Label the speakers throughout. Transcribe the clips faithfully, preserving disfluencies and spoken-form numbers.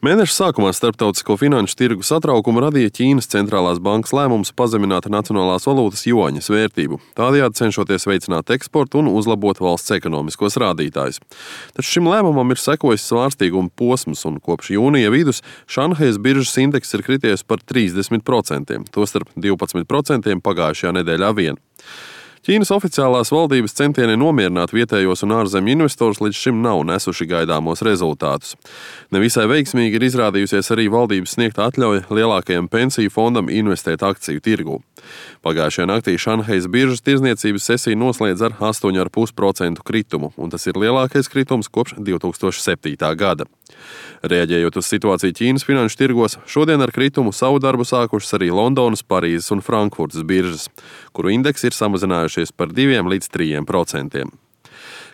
Speaker 1: Mēneša sākumā starptautisko finanšu tirgu satraukumu radīja Ķīnas centrālās bankas lēmums pazemināt nacionālās valūtas juaņas vērtību, tādējādi cenšoties veicināt eksportu un uzlabot valsts ekonomiskos rādītājus. Taču šim lēmumam ir sekojis svārstīguma posms, un kopš jūnija vidus Šanhajas biržas indeks ir krities par trīsdesmit procentiem, tostarp divpadsmit procentiem pagājušajā nedēļā vien. Ķīnas oficiālās valdības centieni nomierināt vietējos un ārzemju investorus līdz šim nav nesuši gaidāmos rezultātus. Nevisai veiksmīgi ir izrādījusies arī valdības sniegta atļauja lielākajam pensiju fondam investēt akciju tirgū. Pagājušajā naktī Šanhajas biržas tirdzniecības sesija noslēdz ar astoņu komats pieci procenta kritumu, un tas ir lielākais kritums kopš divi tūkstoši septītā gada. Reaģējot uz situāciju Ķīnas finanšu tirgos, šodien ar kritumu savu darbu sākušas arī Londonas, Parīzes un Frankfurtas biržas, kuru indeksi ir samazinājušies par diviem līdz trījiem procentiem.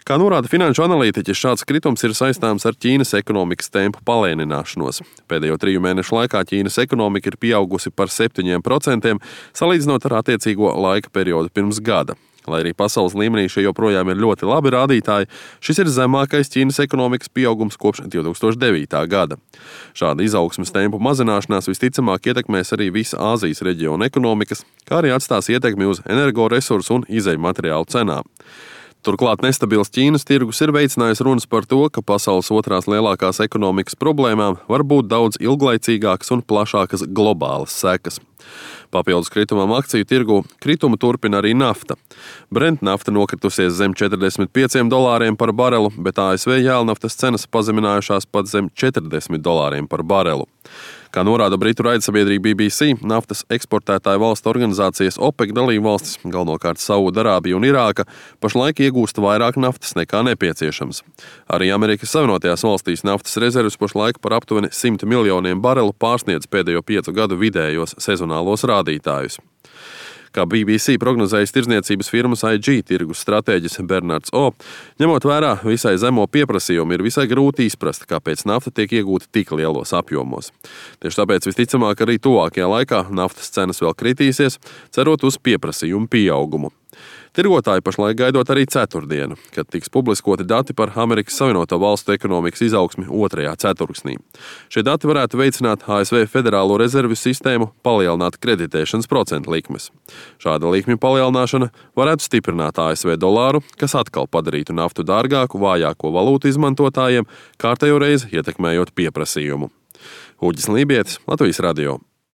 Speaker 1: Kā norāda finanšu analītiķi, šāds kritums ir saistāms ar Ķīnas ekonomikas tempu palēnināšanos. Pēdējo triju mēnešu laikā Ķīnas ekonomika ir pieaugusi par septiņiem procentiem, salīdzinot ar attiecīgo laika periodu pirms gada. Lai arī pasaules līmenī šie joprojām ir ļoti labi rādītāji, šis ir zemākais Ķīnas ekonomikas pieaugums kopš divi tūkstoši devītā gada. Šāda izaugsmes tempu mazināšanās visticamāk ietekmēs arī visa Āzijas reģiona ekonomikas, kā arī atstās ietekmi uz energoresursu un izejmateriālu cenām. Turklāt nestabils Ķīnas tirgus ir veicinājis runas par to, ka pasaules otrās lielākās ekonomikas problēmām var būt daudz ilglaicīgākas un plašākas globālas sekas. Papildus kritumam akciju tirgu kritumu turpina arī nafta. Brent nafta nokritusies zem četrdesmit pieciem dolāriem par barelu, bet A S V jēlnaftas cenas pazeminājušās pat zem četrdesmit dolāriem par barelu. Kā norāda britu raidsabiedrība B B C, naftas eksportētāju valstu organizācijas OPEC dalībvalstis, galvenokārt Saudarābija un Irāka, pašlaik iegūst vairāk naftas nekā nepieciešams. Arī Amerikas Savienotajās valstīs naftas rezerves pašlaik par aptuveni simt miljoniem barelu pārsniedz pēdējo piecu gadu vidējos sezonālos rādītājus. Kā B B C prognozējis tirdzniecības firmas I G tirgus stratēģis Bernards O, ņemot vērā visai zemo pieprasījumu, ir visai grūti izprast, kāpēc nafta tiek iegūta tik lielos apjomos. Tieši tāpēc visticamāk arī tuvākajā laikā naftas cenas vēl kritīsies, cerot uz pieprasījumu pieaugumu. Tirgotāji pašlaik gaidot arī ceturtdienu, kad tiks publiskoti dati par Amerikas Savienoto Valstu ekonomikas izaugsmi otrajā ceturksnī. Šie dati varētu veicināt A S V Federālo rezervju sistēmu palielināt kreditēšanas procentu likmes. Šāda likmju palielināšana varētu stiprināt A S V dolāru, kas atkal padarītu naftu dārgāku vājāko valūtu izmantotājiem, kārtējo reizi ietekmējot pieprasījumu. Uģis Lībietis, Latvijas radio.